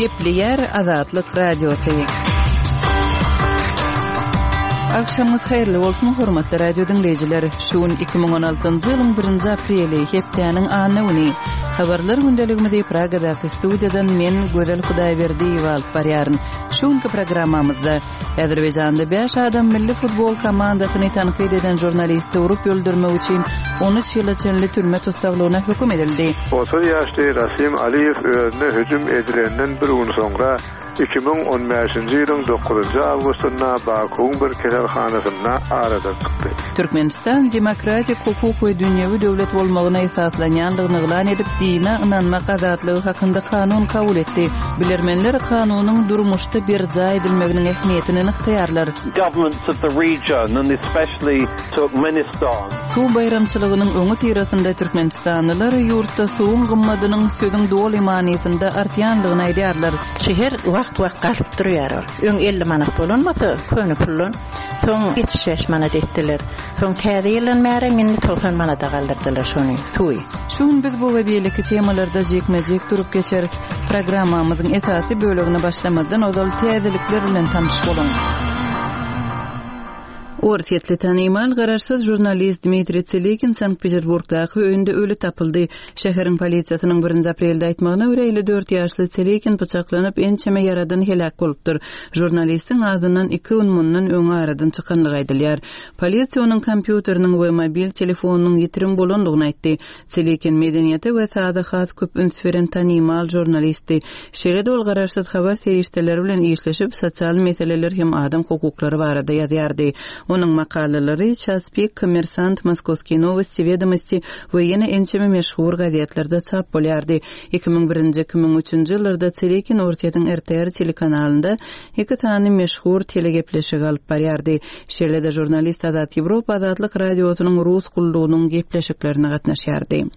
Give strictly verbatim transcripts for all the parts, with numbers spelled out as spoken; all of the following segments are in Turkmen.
Gepleýär Azatlyk Radiosy. Agşamyňyz haýyrly bolsun, hormatly radio diňleýjiler. Şu gün iki müň on altynjy ýylyň birinji apreli, hepdäniň anna güni. Habarlar gündeligimizi Pragadaky studiýadan men Gözel Hudaýberdiýewa alyp barýaryn. Şu günki programmamyzda Azerbaýjanda bäş adam milli futbol komandasyny tankyt eden žurnalisti urup öldürmek üçin on üç ýyla çenli türme tussaglygyna höküm edildi. Otuz ýaşly Rasim Aliýew özüne hüjüm edilenden bir gün soňra iki müň on bäşinji ýylyň dokuzynjy awgustynda Bakuwyň bir keselhanasynda aradan çykdy. Türkmenistan demokratik hukuk we dünýewi döwlet bolmagyna esaslanýandygyny yglan edip, dine ynanmak azatlygy hakynda kanun kabul etdi. Bilermenler kanunyň durmuşda berjaý edilmeginiň ähmiýetini nygtaýarlar. Governments of the region and especially Turkmenistan. Suw baýramçylygynyň öňi syrasynda türkmenistanlylar ýurtda suwuň gymmadynyň sözüň doly manysynda artýandygyny aýdýarlar. Şäher wagt-wagt galyp durýar. Öň elli manat bolan bolsa, köne puldan, soň ýetmiş bäş manat etdiler. Soň täze ýyldan bäri indi togsan manata galdyrdylar şony, suwy. Şu gün biz bu we beýleki temalarda jikme-jik durup geçeris. Programmamyzyň esasy bölegine başlamazdan ozal täzelikler bilen tanyş boluň. Orsýetli tanymal garaşsyz žurnalist Dmitriý Tselikin Sankt-Peterburgdaky öýünde öli tapyldy. Şäheriň polisiýasynyň birinji aprelde aýtmagyna görä elli dört ýaşly Tselikin pyçaklanyp ençeme ýaradan heläk bolupdyr. Žurnalistiň azyndan iki gün mundan öň aradan çykanlygy aýdylýar. Polisiýa onuň kompýuteriniň we mobil telefonynyň ýitirim bolandygyny aýtdy. Tselikin medeniýete we saza has köp üns beren tanymal žurnalistdi. Şeýle-de ol garaşsyz habar serişdeleri bilen işleşip, sosial meseleler hem adam hukuklary barada ýazýardy. Onuň makalalary Ças Pik, Kommersant, Moskovskiý Novosti, Vedomosti we ýene ençeme meşhur gazetlerde çap bolýardy. Iki müň birinji, iki müň üçünji ýyllarda Tselikin Orsýetiň R T R telekanalynda iki sany meşhur telegepleşigi alyp barýardy. Şeýle-de žurnalist Azat Ýewropa Azatlyk Radiosynyň Rus gullugynyň gepleşiklerine gatnaşýardy.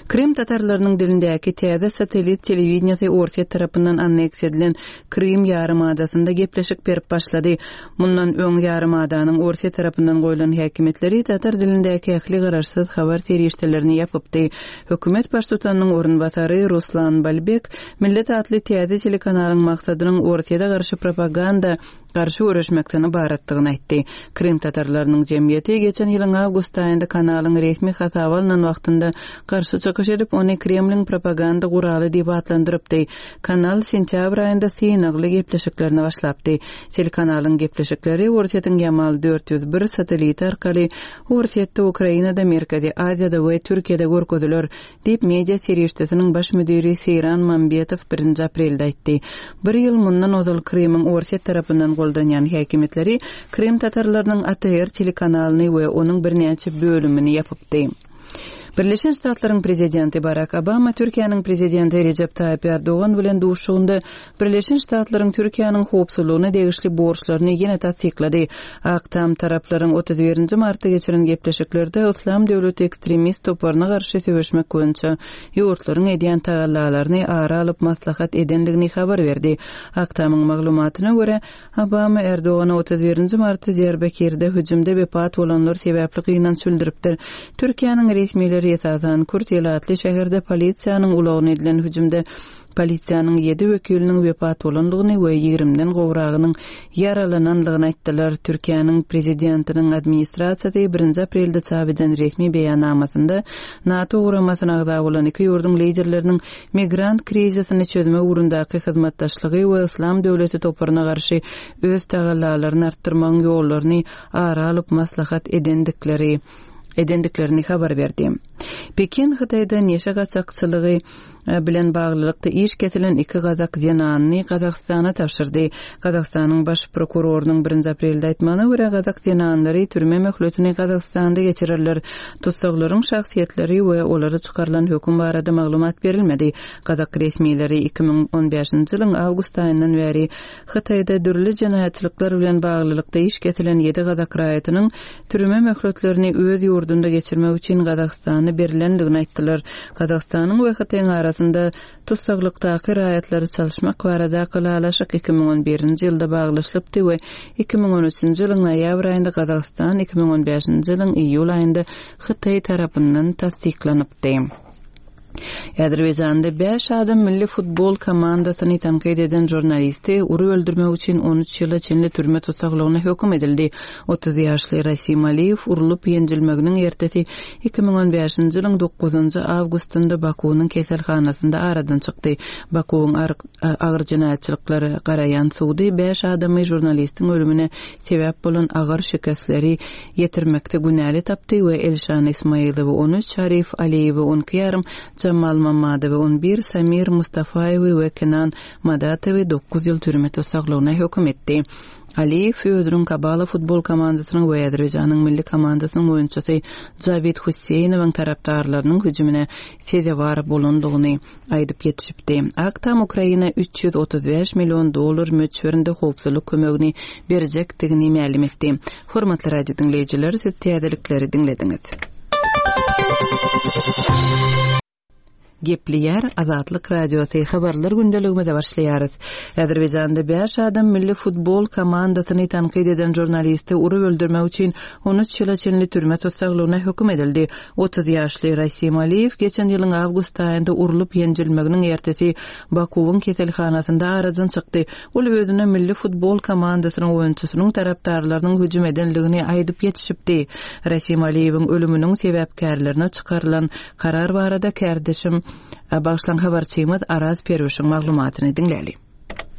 Krym tatarlarynyň dilindäki täze satellit telewideniýasy Orsýet tarapyndan anneksiýa edilen Krym ýarymadasynda gepleşik berip başlady. Mundan öň ýarymadanyň Orsýet tarapyndan goýlan häkimiýetleri tatar dilindäki ähli garaşsyz habar serişdelerini ýapypdy. Hökümet baştutanynyň orunbasary Ruslan Balbek Millet atly täze telekanalyň maksadynyň Orsýete garşy propaganda garşy göreşmekden ybaratdygyny aýtdy. Krym tatarlarynyň jemgyýeti geçen ýylyň awgust aýynda kanalyň resmi hasaba alynan wagtynda garşy çykyş edip, ony Kremliň propaganda guraly diýip atlandyrypdy. Kanal sentýabr aýynda synagly gepleşiklerini başlapdy. Telekanalyň gepleşikleri Orsýetiň Yamal dört ýüz bir satelliti arkaly Orsýetde, Ukrainada, Merkezi Aziýada we Türkiýede görkeziler, diýip media serişdesiniň baş müdiri Seyran Mambetow birinji aprelde aýtdy. Bir ýyl mundan ozal Krymyň Orsýet tarapyndan goldanýan häkimiýetleri Krym tatarlarynyň A T R telekanalyny we onuň birnäçe bölümini ýapypdy. Birleşen Ştatlaryň prezidenti Barack Obama Türkiýäniň prezidenti Recep Tayyip Erdogan bilen duşuşygynda Birleşen Ştatlaryň Türkiýäniň howpsuzlygyna degişli borçlaryny ýene tassyklady. Ak Tam taraplaryň otuz birinji martda geçiren gepleşiklerde Islam döwleti ekstremist toparyna garşy söweşmek boýunça ýurtlaryň edýän tagallalaryny ara alyp maslahat edendigini habar berdi. Ak Tamyň maglumatyna görä Obama Erdogana otuz birinji martda Diyarbakirde hüjümde wepat bolanlar sebäpli gynanç bildiripdir. Türkiýäniň resmileri esasan Kürt ýylatly şäherde polisiýanyň ulagyna edilen hüjümde polisiýanyň ýedi wekiliniň wepat bolandygyny we ýigrimden gowragynyň ýaralanandygyny aýtdylar. Türkiýäniň prezidentiniň administrasiýasy birinji aprelde çap eden resmi beýannamasynda NATO guramasyna agza bolan iki ýurduň liderleriniň migrant krizisini çözmek ugrundaky hyzmatdaşlygy we Islam döwleti toparyna garşy öz tagallalaryny artdyrmagyň ýollaryny ara alyp maslahat edendikleri edendiklerini habar berdi. Pekin Hytaýda neşe gaçakçylygy bilen baglylykda iş kesilen iki gazak zenanyny Gazagystana tabşyrdy. Gazagystanyň baş prokurorynyň birinji aprelde aýtmagyna görä gazak zenanlary türme möhletini Gazagystanda geçirerler. Tussaglaryň şahsyýetleri we olara çykarylan höküm barada maglumat berilmedi. Gazak resmileri iki müň on bäşinji ýylyň awgust aýyndan bäri Hytaýda dürli jenaýatçylyklar bilen baglylykda iş kesilen ýedi gazak raýatynyň türme möhletlerini öz ýurdunda geçirmek üçin Gazagystana berilendigini aýtdylar. Gazagystanyň we Hytaýyň arasynda tussaglykdaky raýatlary çalyşmak barada ylalaşyk iki müň on birinji ýylda baglaşylypdy we iki müň on üçünji ýylyň noýabr aýynda Gazagystan, iki müň on bäşinji ýylyň iýul aýynda Hytaý tarapyndan tassyklanypdy. Azerbaýjanda bäş adam milli futbol komandasyny tankyt eden žurnalisti urup öldürmek üçin on üç ýyla çenli türme tussaglygyna höküm edildi. Otuz ýaşly Rasim Aliýew urulyp ýenjilmeginiň ertesi iki müň on bäşinji ýylyň dokuzynjy awgustynda Bakuwyň keselhanasynda aradan çykdy. Bakuwyň agyr jenaýatçylyklara garaýan sudy bäş adamy žurnalistiň ölümine sebäp bolan agyr şikesleri ýetirmekde günäli tapdy we Elşan Ismailowy on üç, Arif Aliýewi on iki ýarym, Jamal Mamadowy on bir, Samir Mustafaýewi we Kenan Madatowy dokuz ýyl türme tussaglygyna höküm etdi. Aliýew özüniň Kabala futbol komandasynyň we Azerbaýjanyň milli komandasynyň oýunçysy Javid Husseýnowyň tarapdarlarynyň hüjümine sezewar bolandygyny aýdyp ýetişipdi. Ak Tam Ukraina üç ýüz otuz bäş million dollar möçberinde howpsuzlyk kömegini berjekdigini mälim etdi. Hormatly radio diňleýjiler, siz täzelikleri diňlediňiz. Geplýär Azatlyk Radiosy habarlar gündeligimize başlaýarys. Azerbaýjanda bäş adam milli futbol komandasyny tankyt eden žurnalisti urup öldürmek üçin on üç ýyla çenli türme tussaglygyna höküm edildi. Otuz ýaşly Rasim Aliýew geçen ýylyň awgust aýynda urulyp ýenjilmeginiň ertesi Bakuwyň keselhanasynda aradan çykdy. Ol özüne milli futbol komandasynyň oýunçysynyň tarapdarlarynyň hüjüm edenligini aýdyp ýetişipdi. Rasim Aliýewiň ölüminiň sebäpkärlerine çykarylan karar barada kärdeşim Bağışlan habarçymyz Araz Perwişiň maglumatyny diňläli.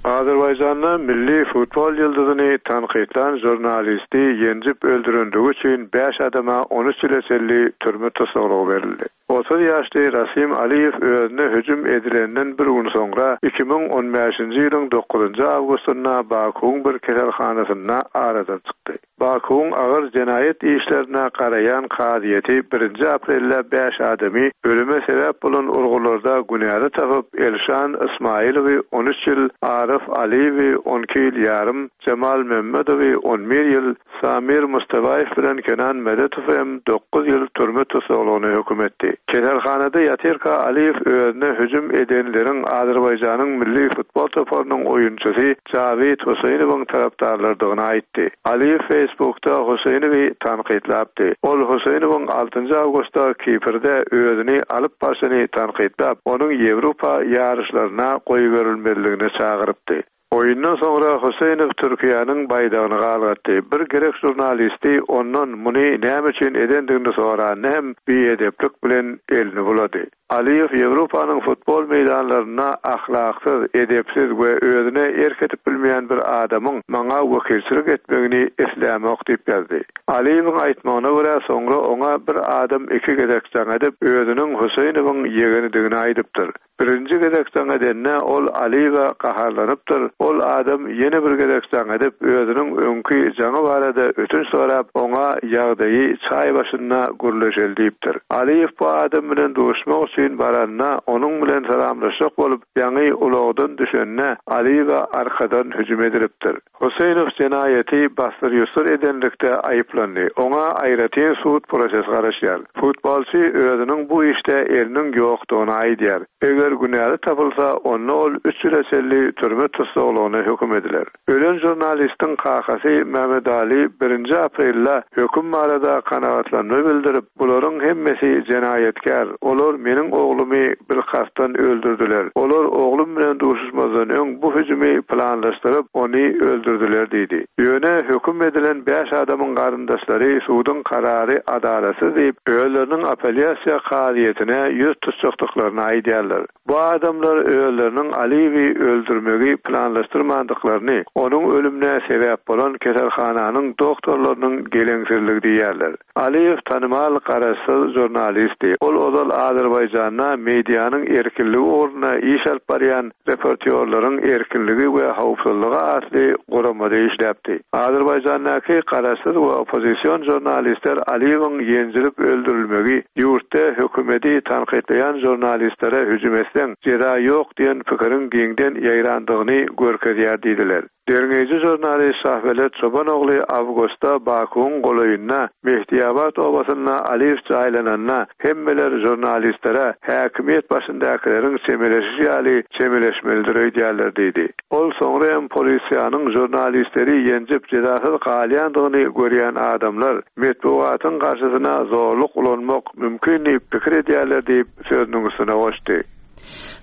Azerbaýjanda milli futbol ýyldyzyny tankytlan žurnalisti ýenjip öldürendigi üçin bäş adama on üç ýyla çenli türme tussaglygy berildi. Otuz ýaşly Rasim Aliýew özüne hüjüm edilenden bir gün soňra iki müň on bäşinji ýylyň dokuzynjy awgustynda Bakuwyň bir keselhanasynda aradan çykdy. Bakuwyň agyr jenaýat işlerine garaýan kazyýeti birinji aprelde bäş adamy ölüme sebäp bolan urgularda günäli tapyp Elşan Ismailowy on üç ýyl, Arif Aliýewi on iki ýyl ýarym, Jamal Mehmedowy on bir ýyl, Samir Mustafaýew bilen Kenan Medetow hem dokuz ýyl türme tussaglygyna höküm etdi. Keselhanada ýatyrka Aliýew özüne hüjüm edenleriň Azerbaýjanyň milli futbol toparynyň oýunçysy Javid Huseýnowyň tarapdarlarydygyny aýtdy. Aliýew Facebookda Huseýnowy tankytlapdy. Ol Huseýnowyň altynjy awgustda Kiprde özüni alyp barşyny tankytlap, onuň Ýewropa ýaryşlaryna goýberilmeliligine çagyrypdy. Oýundan soňra Huseýnow Türkiýäniň baýdagyny galgatdy. Bir gerek žurnalisti ondan muny näme üçin edendigini soranda hem biedeplik bilen elini bulady. Aliýew Ýewropanyň futbol meýdanlarynda ahlaksyz, edepsiz we özüne erk edip bilmeýän bir adamyň maňa wekilçilik etmegini islämok diýip ýazdy. Aliýewiň aýtmagyna görä soňra oňa bir adam iki gezek jaň edip, özüniň Huseýnowyň ýegenidigini aýdypdyr. Birinji gezek jaň edende ol Aliýewe gaharlanypdyr. Ol adam ýene bir gezek jaň edip, özüniň öňki jaňy barada ötünç sorap, oňa ýagdaýy çaý başynda gürleşeli diýipdir. Aliýew bu adam bilen duşmak üçin baranda onuň bilen salamlaşjak bolup, ýaňy ulagdan düşende Aliýewe arkadan hüjüm edilipdir. Huseýnow jenaýaty basdyr-ýusur edenlikde aýyplandy. Oňa aýratyn sud prosesi garaşýar. Futbolçy özüniň bu işde eliniň ýokdugyny aýdýar. Eger günäli tapylsa, onda ol üç ýyla çenli türme tussaglygyna höküm ediler. Ölen žurnalistiň kakasy Mehmet Ali birinji aprelde höküm barada kanagatlanma bildirip, bularyň hemmesi jenaýatkär. Olar meniň oglumy bilkastdan öldürdüler. Olar oglum bilen duşuşmazdan öň bu hüjümi planlaşdyryp, ony öldürdüler diýdi. Ýöne höküm edilen bäş adamyň garyndaşlary suduň karary adalatsyz diýip, özleriniň apellýasiýa kazyýetine ýüz tutjakdyklaryny aýdýarlar. Bu adamlar özleriniň Aliýewi öldürmegi planlaşdyrmandyklaryny, onuň ölümine sebäp bolan keselhananyň doktorlarynyň geleňsizligi diýýärler. Aliýew tanymal garaşsyz žurnalisti. Ol ozal Azerbaýjanda medianyň erkinligi ugrunda iş alyp barýan reportýorlaryň erkinligi we howpsuzlygy atly guramada işläpdi. Azerbaýjandaky garaşsyz we oppozision žurnalistler Aliýewiň ýenjilip öldürilmegi ýurtda hökümeti tankytlaýan žurnalistlere hüjüm etseň jeza ýok diýen pikiriň giňden ýaýrandygyny görkezýär diýdiler. Derňeýji žurnalist Şahbelet Çobanogly awgustda Bakuwyň golaýynda Mehdiabat obasynda Aliýew jaýlananda hemmeler žurnalist žurnalistlere häkimiýet başyndakylaryň çemeleşişi ýaly çemeleşmelidir öýdýärler diýdi. Ol soňra hem polisiýanyň žurnalistleri ýenjip jezasyz galýandygyny görýän adamlar metbugatyň garşysyna zorluk ulanmak mümkin diýip pikir edýärler diýip sözüniň üstüne goşdy.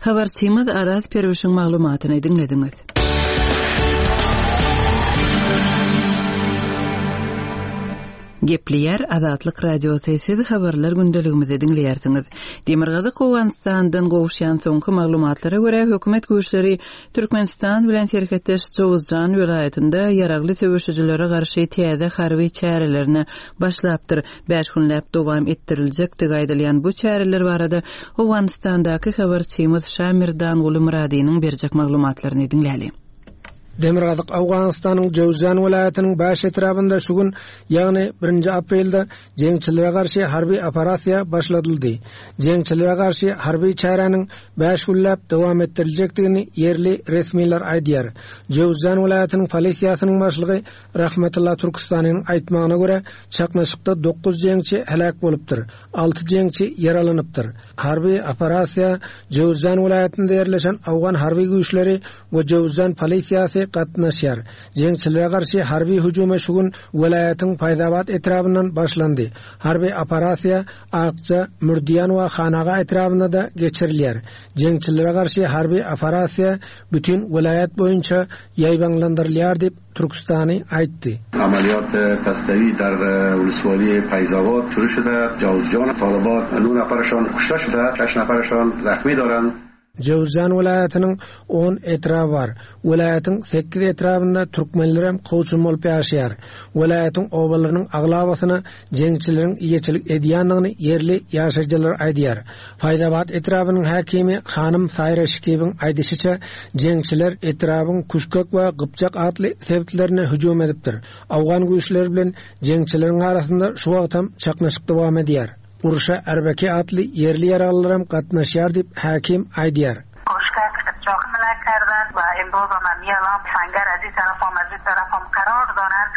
Habarçymyz Araz Perwişiň maglumatyny diňlediňiz. Gepleýär Azatlyk Radiosy, siz habarlar gündeligimizi diňleýärsiňiz. Demirgazyk Owganystandan gowuşýan soňky maglumatlara görä hökümet güýçleri Türkmenistan bilen serhetdeş Jowuzjan welaýatynda ýaragly söweşijilere garşy täze harby çärelerine başlapdyr. Bäş günläp dowam etdiriljekdigi aýdylýan bu çäreler barada Owganystandaky habarçymyz Şamirdan Guly Myradynyň berjek maglumatlaryny diňläli. Demirgazyk Owganystanyň Jowzjan welaýatynyň baş etrabynda şu gün, ýagny birinji aprelde jeňçilere garşy harby operasiýa başladyldy. Jeňçilere garşy harby çäräniň bäş günläp dowam etdiriljekdigini ýerli resmiler aýdýar. Jowzjan welaýatynyň polisiýasynyň başlygy Rahmetullah Türkistanyň aýtmagyna görä, çaknyşykda dokuz jeňçi heläk bolupdyr, alty jeňçi ýaralanypdyr. Harby operasiýa Jowzjan welaýatynda ýerleşen Awgan harby güýçleri we Jowzjan polisiýasy gatnaşýar. Jeňçilere garşy harby hüjüme şu gün welaýatyň Paýzabat etrabyndan başlandy. Harby operasiýa Akça, Mürdiýan we Hanaga etrabynda da geçirilýär. Jeňçilere garşy harby operasiýa bütün welaýat boýunça ýaýbaňlandyrylýar diýip Türkistany aýtdy. Amaliyat tastavi dar ulusvali Payzabat şuru şuda. Jowzjan talibat نه nafarشان kuşta şuda, şeş nafarشان zakhmi doran. Jowzjan welaýatynyň on etraby bar. Welaýatyň sekiz etrabynda türkmenler hem kowçum bolup ýaşaýar. Welaýatyň obalarynyň aglabasyna jeňçileriň eýeçilik edýändigini ýerli ýaşaýjylar aýdýar. Paýzabat etrabynyň häkimi Hanym Saýra Şikibiň aýdyşyça, jeňçiler etrabyň Kuşkak we Gypjak atly sebitlerine hüjüm edipdir. Awgan güýçleri bilen jeňçileriň arasynda şu wagtam çaknyşyk dowam edýär. Urşa Erbeki atly ýerli ýaraglylaram gatnaşýar diýip häkim aýdýar. Kuşkak Gypjak mülak kerdan we imroz mamiyalam sangar aziz tarafam aziz tarafam karar doran.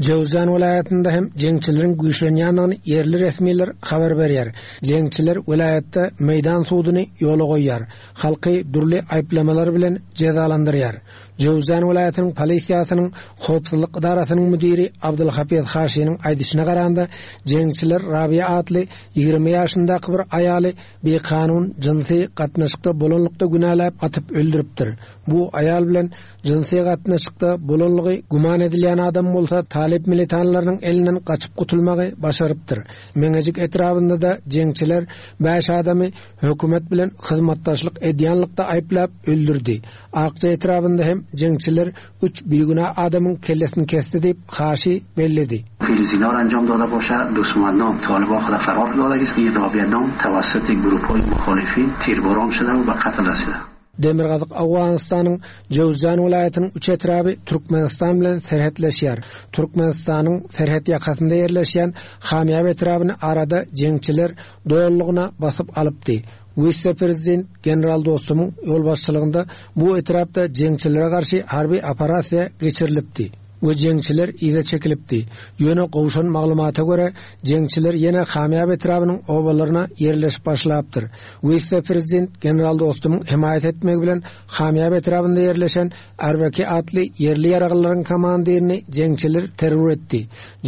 Jowzjan welaýatynda hem jeňçileriň güýçlenýändigini ýerli resmiler habar berýär. Jeňçiler welaýatda meýdan suduny ýola goýýar. Halky dürli aýyplamalar bilen jezalandyrýar. Jowzjan welaýatynyň polisiýasynyň howpsuzlyk idarasynyň müdiri Abdulhafiz Haşiniň aýdyşyna garanda, jeňçiler Rabiýa atly ýigrimi ýaşyndaky bir aýaly bikanun jynsy gatnaşykda bolanlykda günäläp atyp öldüripdir. Bu aýal bilen jynsy gatnaşykda bolanlygy güman edilýän adam bolsa talip militanlarynyň elinden gaçyp gutulmagy başarypdyr. Meňejik etrabynda da jeňçiler bäş adamy hökümet bilen hyzmatdaşlyk edýänlikde aýyplap öldürdi. Akça etrabynda hem jeňçiler üç bigünä adamyň kellesini kesdi diýip Haşi belledi. Filiziner انجام داده باشد، دوستمندان طالبان خود فرار داده است که رابعه نام توسط گروه‌های مخالفین تیرباران شده و به قتل رسیده. Demirgazyk Owganystanyň Jowzjan welaýatynyň üç etraby Türkmenistan bilen serhetleşýär. Türkmenistanyň serhet ýakasynda ýerleşýän Hamýab etrabyny arada jeňçiler doýurlygyna basyp alypdy. Wise-prezident General Dostumyň ýolbaşçylygynda bu etrapda jeňçilere garşy harby operasiýa geçirilipdi we jeňçiler yza çekilipdi. Ýöne gowşan maglumata görä jeňçiler ýene Hamýab etrabynyň obalaryna ýerleşip başlapdyr. Wise-prezident General Dostumyň hemaýat etmegi bilen Hamýab etrabynda ýerleşen Erbeki atly ýerli ýaraglylaryň komandirini jeňçiler terror etdi.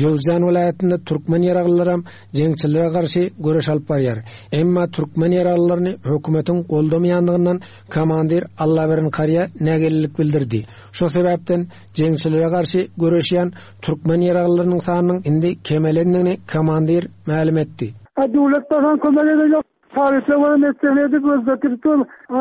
Jowzjan welaýatynda türkmen ýaraglylaram jeňçilere garşy göreş alyp barýar. Emma türkmen ýaraglylaryny hökümetiň goldamaýandygyndan komandir Allaberin Karýa nägillilik bildirdi. Şo sebäpden jeňçilere garşy göreşýän türkmen ýaraglylarynyň sanynyň indi kemelendigini komandir mälim etdi. A döwlet bakan kömek edecek. Tarifle var, metlerini edip özdeki bütün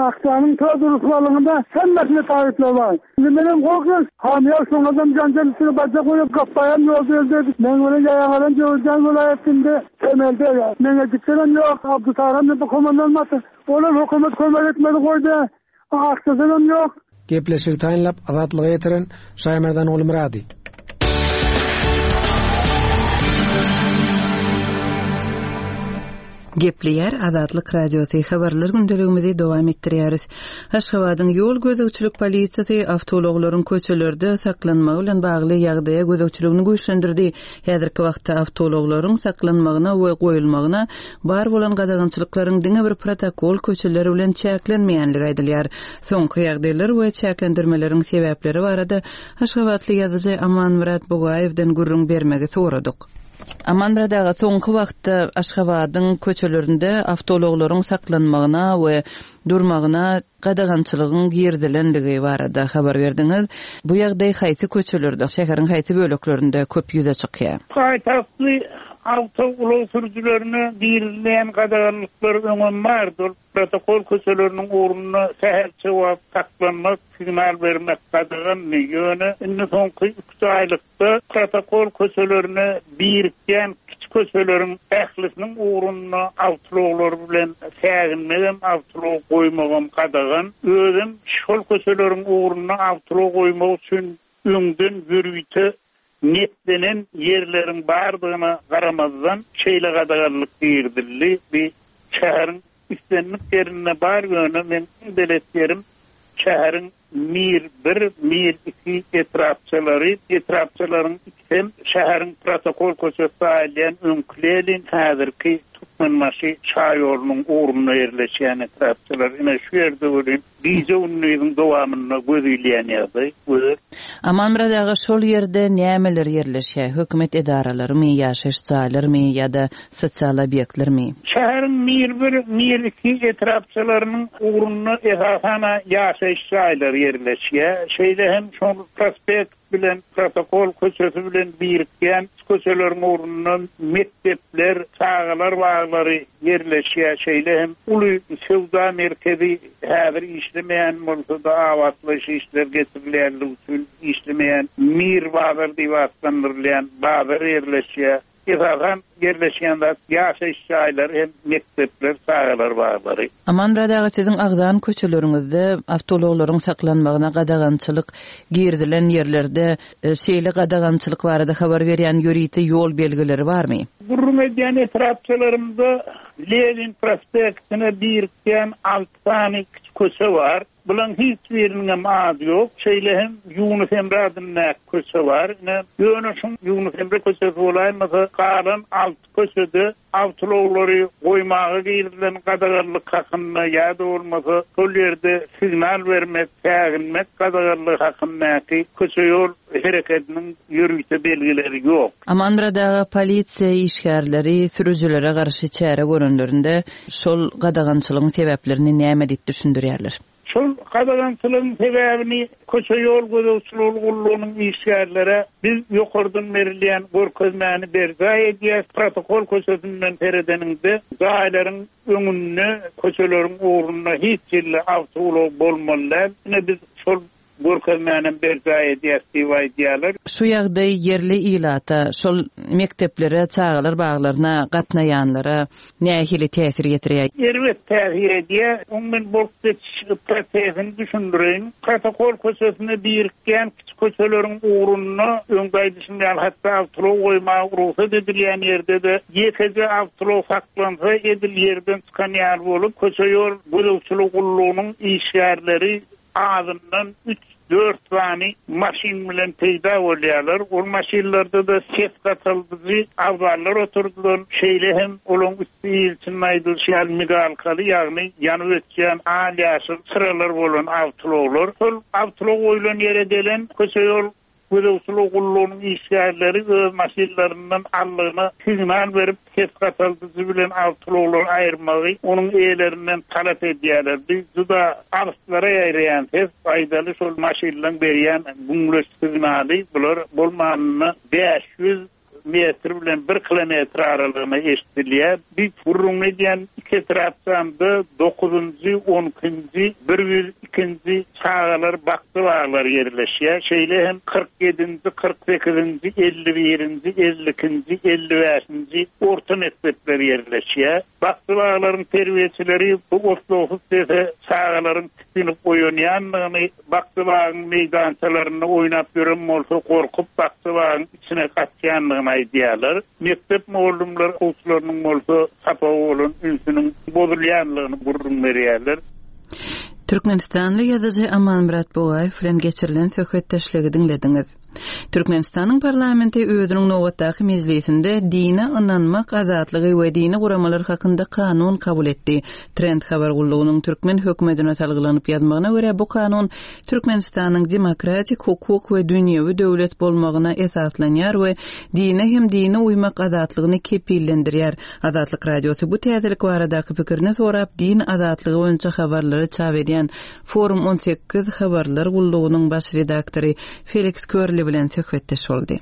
aksanın ta duruşlarında hemmesini tarifle var. Şimdi benim korkuyorum. Hamiyar sonradan cancan üstüne bacak koyup kapayan yolda öldü. Ben öyle yayanların Cevizcan vilayetinde temelde ya. Mengeciklerim yok. Abdülkarim de bu komandan matı. Onun hükümet kömek etmedi koydu. Aksasının yok. Gepleşik tayinlap azatlyga ýetiren Şaýmerdan Ogulmyrady. Gepleýär Azatlyk Radiosy habarlar gündeligimizi dowam etdirýäris. Aşgabadyň ýol gözegçilik polisiýasy awtoulaglaryň köçelerde saklanmagy bilen bagly ýagdaýa gözegçiligini güýçlendirdi. Häzirki wagtda awtoulaglaryň saklanmagyna we goýulmagyna bar bolan gadagançylyklaryň diňe bir protokol köçeleri bilen çäklenmeýänligi aýdylýar. Soňky ýagdaýlar we çäklendirmeleriň sebäpleri barada Aşgabatly ýazyjy Amanmyrat Bugaýewden gürrüň bermegi soradyk. Amanmyrat aga, soňky wagtda Aşgabadyň köçelerinde awtoulaglaryň saklanmagyna we durmagyna gadagançylygyň girizilendigi barada habar berdiňiz. Bu ýagdaý haýsy köçelerde, şäheriň haýsy böleklerinde köp ýüze çykýar? Paýtagtly awtoulag sürüjilerine girizilýän gadaganlyklar öňem bardy. Protokol köçeleriniň ugrunda sähelçe wagt saklanmak, signal bermek gadagandy. Ýöne indi soňky üç aýlykda protokol köçelerine birikýän kiçi köçeleriň ählisiniň ugrunda awtoulaglar bilen säginmegem, awtoulag goýmagam gadagan. Özem şol köçeleriň ugrunda awtoulag goýmak üçin öňden ýörite niýetlenen ýerleriň bardygyna garamazdan şeýle gadaganlyk girizildi. Bir şäheriň islendik ýerinde bar, ýöne men iň belet ýerim şäheriň Mir bir, Mir iki etrapçalary, etrapçalaryň ikisem şäheriň protokol köçesi aýylýan öňki Lenin, häzirki Türkmenbaşy Şaýolunyň ugrunda ýerleşýän etrapçalar. Ine şu ýerde welin gije gündiziň dowamynda göz ilýän ýagdaý, gözel. Amanmyrat aga, şol ýerde nämeler ýerleşýär? Hökümet edaralarymy, ýaşaýyş jaýlarymy ýa-da sosial obýektlermi? Şäheriň Mir bir, Mir iki etrapçalarynyň ugrunda esasana ýaşaýyş jaýlary ýerleşýär. Şeýle hem şol prospekt bilen protokol köçesi bilen birikýän köçeleriň ugrunda mekdepler, çagalar baglary ýerleşýär. Şeýle hem uly söwda merkezi häzir işlemeýän bolsa-da abatlaýyş işler geçirilýänligi üçin işlemeýän Mir bazar diýip atlandyrylýan bazar ýerleşýär. Esasan ýerleşýän zat ýaşaýyş jaýlary hem mekdepler, çagalar baglary. Amanmyrat aga, siziň agzan köçeleriňizde awtoulaglaryň saklanmagyna gadagançylyk girizilen ýerlerde e, şeýle gadagançylyk barada habar berýän ýörite ýol belgileri barmy? Gürrüň edýän etrapçalarymda Lenin prospektine birikýän alty sany kiçi köçe bar. Bulan hiç biriniň hem ady ýok. Şeýle hem Ýunus Emre adyndaky köçe bar. Ine, ýöne şuň Ýunus Emre köçesi bolaýmasa, galan alty köçede awtoulaglary goýmaga girizilen gadaganlyk hakynda ýa-da bolmasa şol ýerde signal bermek, säginmek gadaganlygy hakyndaky köçe ýol hereketiniň ýörite belgileri ýok. Amanmyrat aga, polisiýa işgärleri sürüjilere garşy çäre görenlerinde şol gadagançylygyň sebäplerini näme diýip düşündirýärler? Şol gadagançylygyň sebäbini köçe ýol gözegçiligi gullugynyň işgärlere biz ýokardan berilýän görkezmäni berjaý edýäs. Protokol köçesinden seredeniňde jaýlaryň öňünde, köçeleriň ugrunda hiç ýerde awtoulag bolmaly däl. Ine biz şol görkezmäni berjaý edýäs diýip aýdýarlar. Şu ýagdaý ýerli ilata, şol mekdeplere, çagalar baglaryna gatnaýanlara nähili täsir ýetirýär? Erbet täsir edýär. Oň men bolup geçiş prosesini düşündireýin. Protokol köçesine birikýän kiçi köçeleriň ugrunda öňde aýdyşym ýaly hatda awtoulag goýmaga rugsat edilýän ýerde-de ýekeje awtoulag saklansa edil ýerden çykan ýaly bolup, köçe ýol gözegçilik gullugynyň işgärleri azyndan üç dört sany maşyn bilen peýda bolýarlar. Ol maşynlarda-da ses gataldyjy abzallar oturdylan, şeýle hem olaň üsti içinde aýdylyş ýaly migalkaly, ýagny ýanyp ötýän al ýaşyl çyralar bolan awtoulaglar. Şol awtoulag goýlan ýere gelen köçe ýol gözegçilik gullugynyň işgärleri öz maşynlaryndan allygyna signal berip ses gataldyjy bilen awtoulaglary aýyrmagy onuň eýelerinden talap edýärler. Biz juda alyslara ýaýraýan ses aýdaly şol maşynlaryň berýän güňleç signaly bular bolmanynda bäş ýüz metr bilen bir kilometr aralygyna eşidilýär. Biz gürrüň edýän iki etrapçamda dokuzynjy, on ikinji, bir ýüz ikinji çagalar bakja baglary ýerleşýär. Şeýle hem kyrk ýedinji, kyrk sekizinji, elli birinji, elli ikinji, elli bäşinji orta mekdepler ýerleşýär. Bakja baglaryň terbiýeçileri bu otlawsyz sese çagalaryň tikinip oýanýandygyny, bakja bagyň meýdançalarynda oýnap ýören bolsa gorkup bakja bagyň içine gaçýandygyny edýändigini aýdýarlar. Mekdep mugallymlary okuwçylarynyň bolsa sapaga bolan ünsüniň bozulýanlygyny gürrüň berýärler. Türkmenistanly ýazyjy Amanmyrat Bugaýew bilen geçirilen söhbetdeşligi diňlediňiz. Türkmenistanyň parlamenti özüniň nobatdaky mejlisinde dine ynanmak azatlygy we dini guramalar hakynda kanun kabul etdi. Trend habar gullugynyň türkmen hökümetine salgylanyp ýazmagyna görä bu kanun Türkmenistanyň demokratik hukuk we dünýewi döwlet bolmagyna esaslanýar we dine hem dine uýmak azatlygyny kepillendirýär. Azatlyk radiosy bu täzelik baradaky pikirini sorap din azatlygy boýunça habarlary çap edýän Forum on sekiz habarlar gullugynyň baş redaktory Feliks Körli bilen söhbetdeş boldy.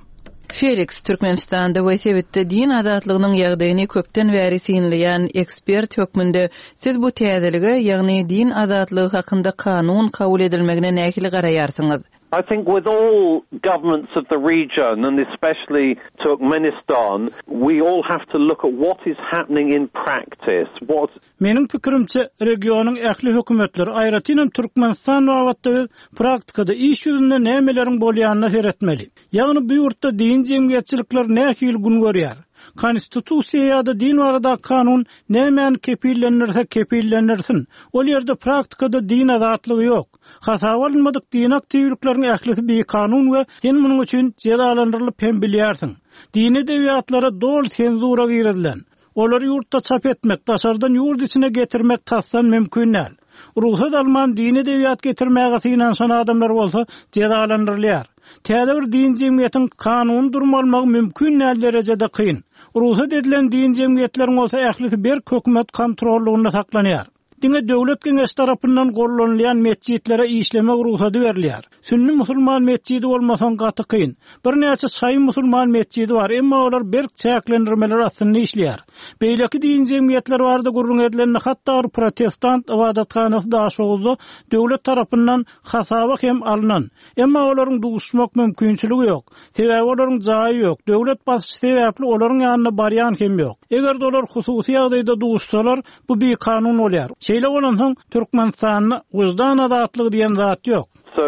Feliks, Türkmenistanda we sebitde din azatlygynyň ýagdaýyny köpden bäri synlaýan ekspert hökmünde siz bu täzelige, ýagny din azatlygy hakynda kanun kabul edilmegine nähili garaýarsyňyz? I think with all governments of the region, and especially Turkmenistan, we all have to look at what is happening in practice. What Meniň pikirimçe regionyň ähli hökümetleri, aýratynam Türkmenistan babatda biz praktikada iş ýüzünde nämeleriň bolýanyna seretmeli. Ýagny bu ýurtda din jemgyýetçilikler nähili gün görýär? Konstitusiýa ýa-da din barada kanun nämäni kepillendirse kepillendirsin. Ol ýerde praktikada din azatlygy ýok. Hasaba alynmadyk din aktiwlikleriň ählisi bikanun we sen munuň üçin jezalandyrylyp hem bilýärsiň. Dini edebiýatlara doly senzura girizilen. Olary ýurtda çap etmek, daşardan ýurt içine getirmek tasdan mümkin däl. Rugsat alman dini edebiýat getirmäge synanyşan adamlar bolsa jezalandyrylýar. Täze bir din jemgyýetiň kanun durmalmagy mümkin däl derejede kyn. Rugsat edilen din jemgyýetleriň bolsa ählisi berk hökümet kontrollugynda saklanýar. Diňe döwlet geňeş tarapyndan gollanylýan metjitlere işlemek rugsady berilýär. Sünni musulman metjidi bolmasaň gaty kyn. Birnäçe şaýy musulman metjidi bar, emma olar berk çäklendirmeler astynda işleýär. Beýleki din jemgyýetler barada gürrüň edilende hatda bir protestant ybadathanasy Daşoguzda döwlet tarapyndan hasaba hem alynan. Emma olaryň duşmak mümkinçiligi ýok. Sebäbi olaryň jaýy ýok. Döwlet basyşy sebäpli olaryň ýanyna barýan hem ýok. Eger olar hususy ýagdaýda duşsalar, bu bir kanun bolýar. Şeýle bolansoň Türkmenistanda wyždan azatlygy diýen zat ýok. So,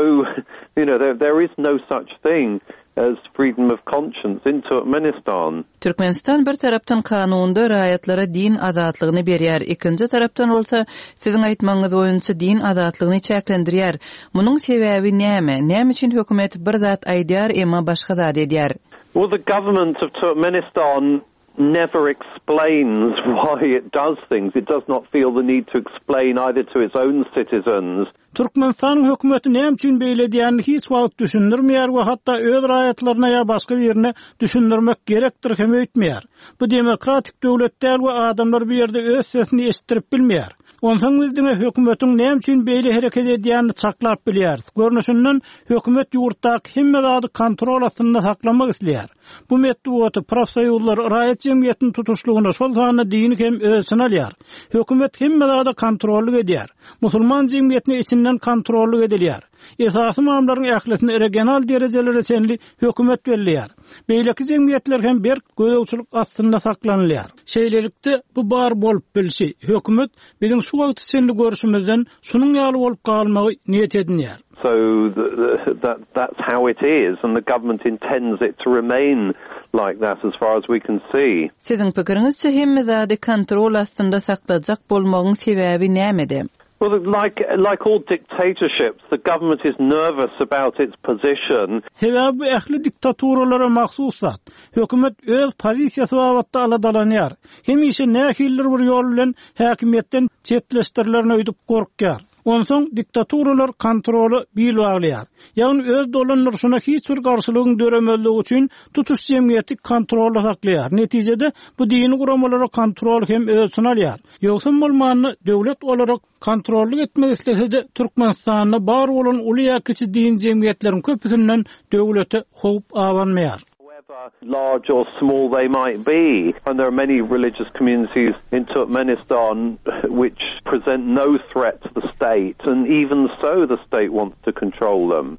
you know, there, there is no such thing as freedom of conscience in Turkmenistan. Türkmenistan bir tarapdan kanunda raýatlara din azatlygyny berýär, ikinji tarapdan bolsa siziň aýtmagyňyz boýunça din azatlygyny çäklendirýär. Munuň sebäbi näme? Näme üçin hökümet bir zat aýdýar, emma başga zat edýär? Well, the government of Turkmenistan never explains why it does things. It does not feel the need to explain either to its own citizens. Türkmenistanyň hökümeti näme üçin beýle diýenini hiç wagt düşündirmeýär we hatda öz raýatlaryna ýa başga birine düşündirmek gerekdir hem öýtmeýär. Bu demokratik döwlet däl we adamlar bu ýerde öz sesini eşitdirip bilmeýär. Onsoň biz diňe hökümetiň näme üçin beýle hereket edýänini çaklap bilýäris. Görnüşinden hökümet ýurtdaky hemme zady kontrol astynda saklamak isleýär. Bu metbugaty, profsoýuzlar, raýat jemgyýetiniň tutuşlygyna şol sanda dini hem öz içine alýar. Hökümet hemme zady kontrollyk edýär. Musulman jemgyýetine içinden kontrollyk edilýär. Esasy ymamlaryň ählisini regional derejelere çenli hökümet belleýär. Beýleki jemgyýetler hem berk gözegçilik astynda saklanylýar. Şeýlelikde bu bar bolup bilşi, hökümet biziň şu wagt çenli görüşümizden şunuň ýaly bolup galmagy niýet edinýär. So the, the, that, that's how it is, and the government intends it to remain like that as far as we can see. Siziň pikiriňizçe hemme zady kontrol astynda saklajak bolmagyň sebäbi nämede? Well, like, like all dictatorships, the government is nervous about its position. Sebäbi bu ähli diktaturalara mahsus zat. Hökümet öz pozisiýasy babatda aladalanýar. Hemişe nähilidir bir ýol bilen häkimiýetden çetleşdirilerini öýdüp gorkýar. Onsoň diktaturalar kontroly bil baglaýar. Ýagny öz dolandyryşyna hiç bir garşylygyň döremezligi üçin tutuş jemgyýeti kontrolda saklaýar. Netijede bu dini guramalara kontrol hem öz içine alýar. Ýogsam bolmanda döwlet olarak kontrollyk etmek islese-de Türkmenistanda bar bolan uly ýa kiçi din jemgyýetleriň köpüsinden döwlete howp abanmaýar. However large or small they might be, and there are many religious communities in Turkmenistan which present no threat to the state, and even so the state wants to control them.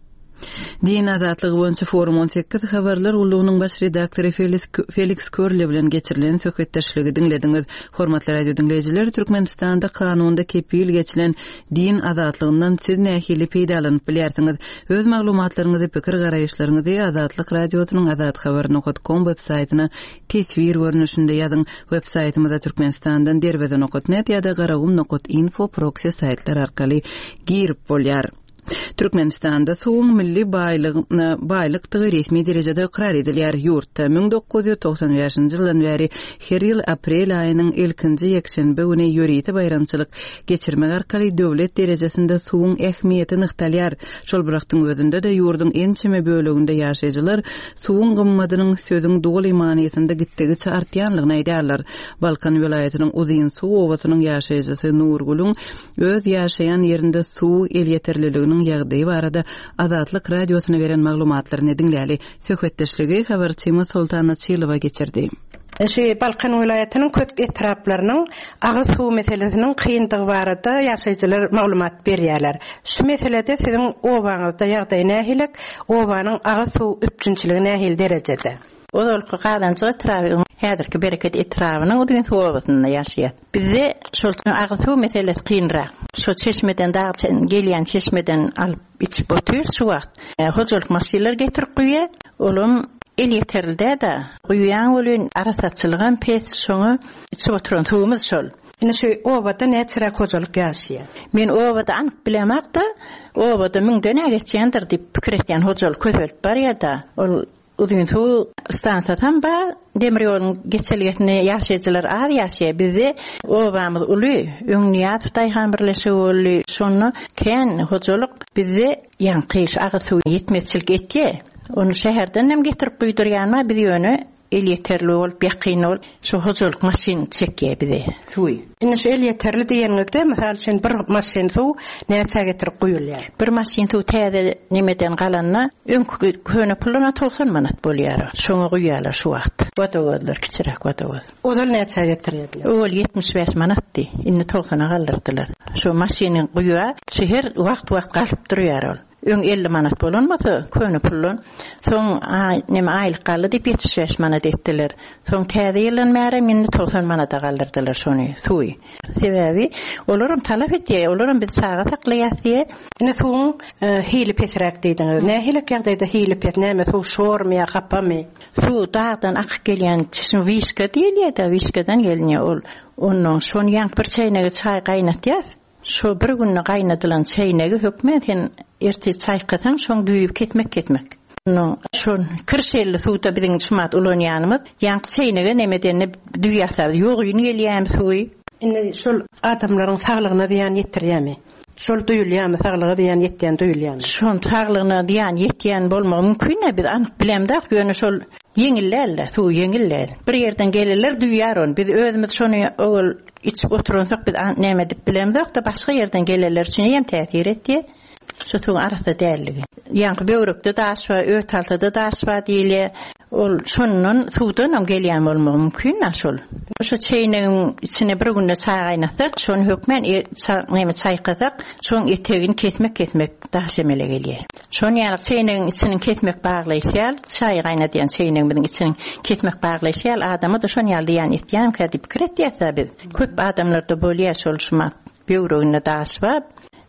Din azatlygy boýunça Forum on sekiz habarlar gullugynyň baş redaktory Feliks Körle bilen geçirilen söhbetdeşligi diňlediňiz. Hormatly radio diňleýjiler, Türkmenistanda kanunda kepil geçilen din azatlygyndan siz nähili peýdalanyp bilýärsiňiz? Öz maglumatlaryňyzy, pikir garaýyşlaryňyzy Azatlyk Radiosynyň azathabar nokta com web saýtyna teswir görnüşinde ýazyň. Web saýtymyza Türkmenistandan derweze nokta net ýa-da garagum nokta info proxy saýtlar arkaly girip bolýar. Türkmenistanda suwuň milli baýlykdygy resmi derejede ykrar edilýär. Ýurtda müň dokuz ýüz togsan bäşinji ýyldan bäri her ýyl aprel aýynyň ilkinji ýekşenbe güni ýörite baýramçylyk geçirmek arkaly döwlet derejesinde suwuň ähmiýeti nygtalýar. Şol bir wagtyň özünde-de ýurduň ençeme böleginde ýaşaýjylar suwuň gymmadynyň sözüň doly manysynda gitdigiçe artýanlygyny aýdýarlar. Balkan welaýatynyň Uzyn suw obasynyň ýaşaýjysy Nurgülüň öz ýaşaýan ýerinde suw elýeterliliginiň ýagdaýy barada Azatlyk radiosyna beren maglumatlaryny diňläli. Söhbetdeşligi habarçymyz Soltana Çylowa geçirdi. Şu Balkan welaýatynyň köp etraplarynyň agyz suw meselesiniň kyndygy barada ýaşaýjylar maglumat berýärler. Şu meselede siziň obaňyzda ýagdaý nähili? Obanyň agyz suw üpjünçiligi nähili derejede? Ozalky Gazanjyk etraby, häzirki Bereket etrabynyň Uzyn suw obasynda ýaşaýar. Bizde şol agyz suw meselesi kynrak. Şu çeşmeden dag gelýän çeşmeden alyp içip otyr şu wagt. E, hojalyk maşynlar getirip guýýar. Olam el ýeterli da guýýan bolýan arasatçylygam pes, şoňa içip oturan suwumyz şol. Indi şu obada näçeräk hojalyk ýaşaýar? Men obada anyk bilemok-da, obada müňden geçýändir diýip pikir etýän hojalyk köpelip barýar-da. Ol Uzyn suw stansiýasam bar, demir ýoluň geçelgesinde ýaşaýjylar az ýaşaýar. Bizde obamyz uly, öň Nyýazow Daýhan birleşigi boldy. Şonda kän hojalyk bizde ýaňky agyz suw ýetmezçilik etýär. Onu şäherden hem getirip guýdurýanma biz ýöne el ýeterli bolup ýakyn bolup şu hojalyk maşyn çekýär bize suwy. Indi şu el ýeterli diýeniňizde, mysal üçin bir maşyn suw näçe getirip guýulýar? Bir maşyn suw täze nemeden galanda öňkü köne puluna togsan manat bolýar. Şoňa guýýarlar şu wagt. Wadawozlar kiçiräk wadawoz. Ozal näçe getirýärdiler? Owal ýetmiş bäş manatdy. Indi togsana galdyrdylar. Şu maşyny guýýar, şu her wagt-wagt galyp durýar ol. Öň elli manat bolan bolsa, köne puldan. Soň neme aýlyk galdy diýip ýetmiş bäş manat etdiler. Soň täze ýyldan bäri indi togsan manata galdyrdylar şony, suwy. Sebäbi olaram talap etýär, olaram biz çaga saklaýas diýe. Indi suwuň, e, hili pesräk diýdiňiz. Nähili ýagdaýda hili pes? Näme suw şormy ýa hapamy? Suw dagdan akyp gelýän çeşme wişka diýilýär-de, wişkadan gelinýär ol. Ondan şony ýaňky bir çeýnegi çaý gaýnatýas. Şu bir günde gaýnadylan çeýnegi hökmän sen erte çaýkasaň, şoň düýüp ketmek ketmek. Ondan şon kirşelli suwda biziň şumat ulanýanymyz, ýaňky çeýnege nemedenini düýýäsär, ýogyn gelýän suwy. Indi şol adamlaryň saglygyna zyýan ýetirýärmi? Şol duýulýarmy, saglyga zyýan ýetýän duýulýarmy? Şon saglygyna zyýan ýetýän bolmagy mümkin, biz anyk bilemdak, ýöne şol ýeňillerle, suw ýeňiller. Bir ýerden gelirler duýýar on. Biz özümiz şony owal içip oturansak biz näme edip bilemzok da başga ýerden gelenler üçin hem täsir etdi. Şu suwuň arasy dälligi. Ýaňky böwrekde daş bar, öt altada daş bar diýilýär. Ol şondan suwdan hem gelýän bolmagy mümkin şol. Şu çeýnegiň içine bir günde çaý gaýnatsak, şony hökmän e, näme çaýkasak, şoň etegini kesmek kesmek daş emele gelýär. Şony ýaly çeýnegiň içini kesmek baglaýşýar, çaý gaýnadýan çeýnegimiziň içini kesmek baglaýşýar, adama da şony ýaly diýen etýän diýip pikir etýär biz. Köp adamlarda bolýar şol şumat böwreginde daş bar,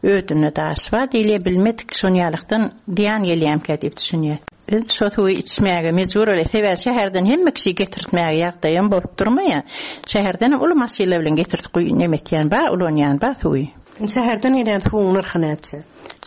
ödünde daş bar diýile bilmedik şony ýalykdan diýen gelýän diýip düşünýär. Biz şo suwy içmäge mejbur bolýar. Sebäbi şäherden hemme kişi getirtmäge ýagdaýam bolup durmaýar. Şäherden uly maşynlar bilen getirip guýy nemetýän bar, ulanýan bar suwy. Şäherden gelýän suwuň nyrhy näçe?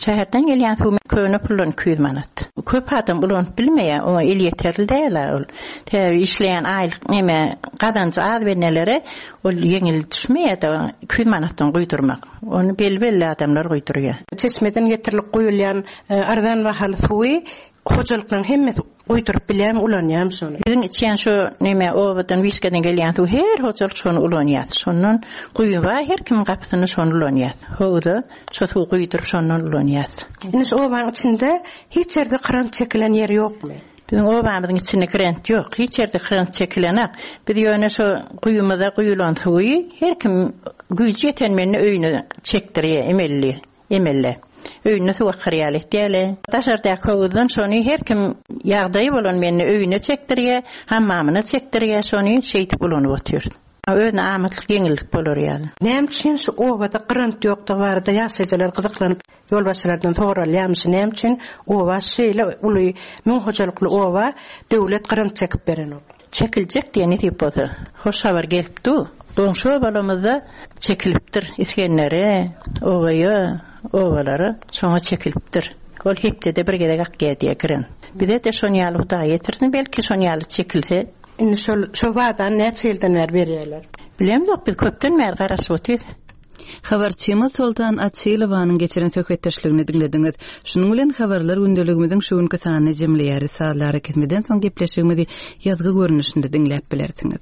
Şäherden gelýän suw köne puldan iki ýüz manat. Köp adam ulanyp bilmeýär, oňa el ýeterli däl ol. Täbi işleýän aýlyk neme gazanjy az benelere ol ýeňil düşmeýär da iki ýüz manatdan guýdurmak. Ony belli-belli adamlar guýdurýar. Çeşmeden getirilip guýulýan, e, arzan bahaly suwy hojalyklaryň hemmesi guýduryp bilýärmi, ulanýarmy şony? Biziň içýän şu neme obadan wişkeden gelýän suw her hojalyk şony ulanýar. Şondan guýy bar, her kimiň gapysyny şony ulanýar. Howza şu suw guýduryp şondan ulanýar. Indi şu obanyň içinde hiç ýerde kran çekilen ýer ýokmy? Biziň obamyzyň içinde krant ýok. Hiç ýerde krant çekilenak. Biz ýöne şu guýumyza guýulan suwy her kim güýji ýeten meni öýüne çekdirýär, emelli, emelle. Öýüne suw akar ýaly etýärler. Daşardaky howuzdan şony her kim ýagdaýy bolan meni öýüne çekdirýär, hammamyna çekdirýär, şony şeýdip ulanyp otyr. Özüne amatlyk ýeňillik bolar ýaly. Näme üçin şu obada grant ýokdugy barada ýaşaýjylar gyzyklanyp ýolbaşçylardan soralýarmyş. Näme üçin oba şeýle uly müň hojalykly oba döwlet grant çekip berenok? Çekiljek diýen nesip bolsa. Hoş habar gelipdi. Goňşy obalarymyzda çekilipdir. Isgendere, obaýa, obalara şoňa çekilipdir. Ol hepdede bir gezek akýar diýe giren. Bize de şon ýaly Hudaý getirsin, belki şon ýaly çekilse. Indi şol şo wadan näçe ýyldan bäri berýärler? Bilemzok, biz köpden bäri garaşyp otyrys. Habarçymyz Soltan Açylowanyň geçiren söhbetdeşligini diňlediňiz. Şunuň bilen habarlar gündeligimiziň şu günki sanyny jemleýäris. Sazlara kesmeden soň gepleşigimizi ýazgy görnüşinde diňläp bilersiňiz.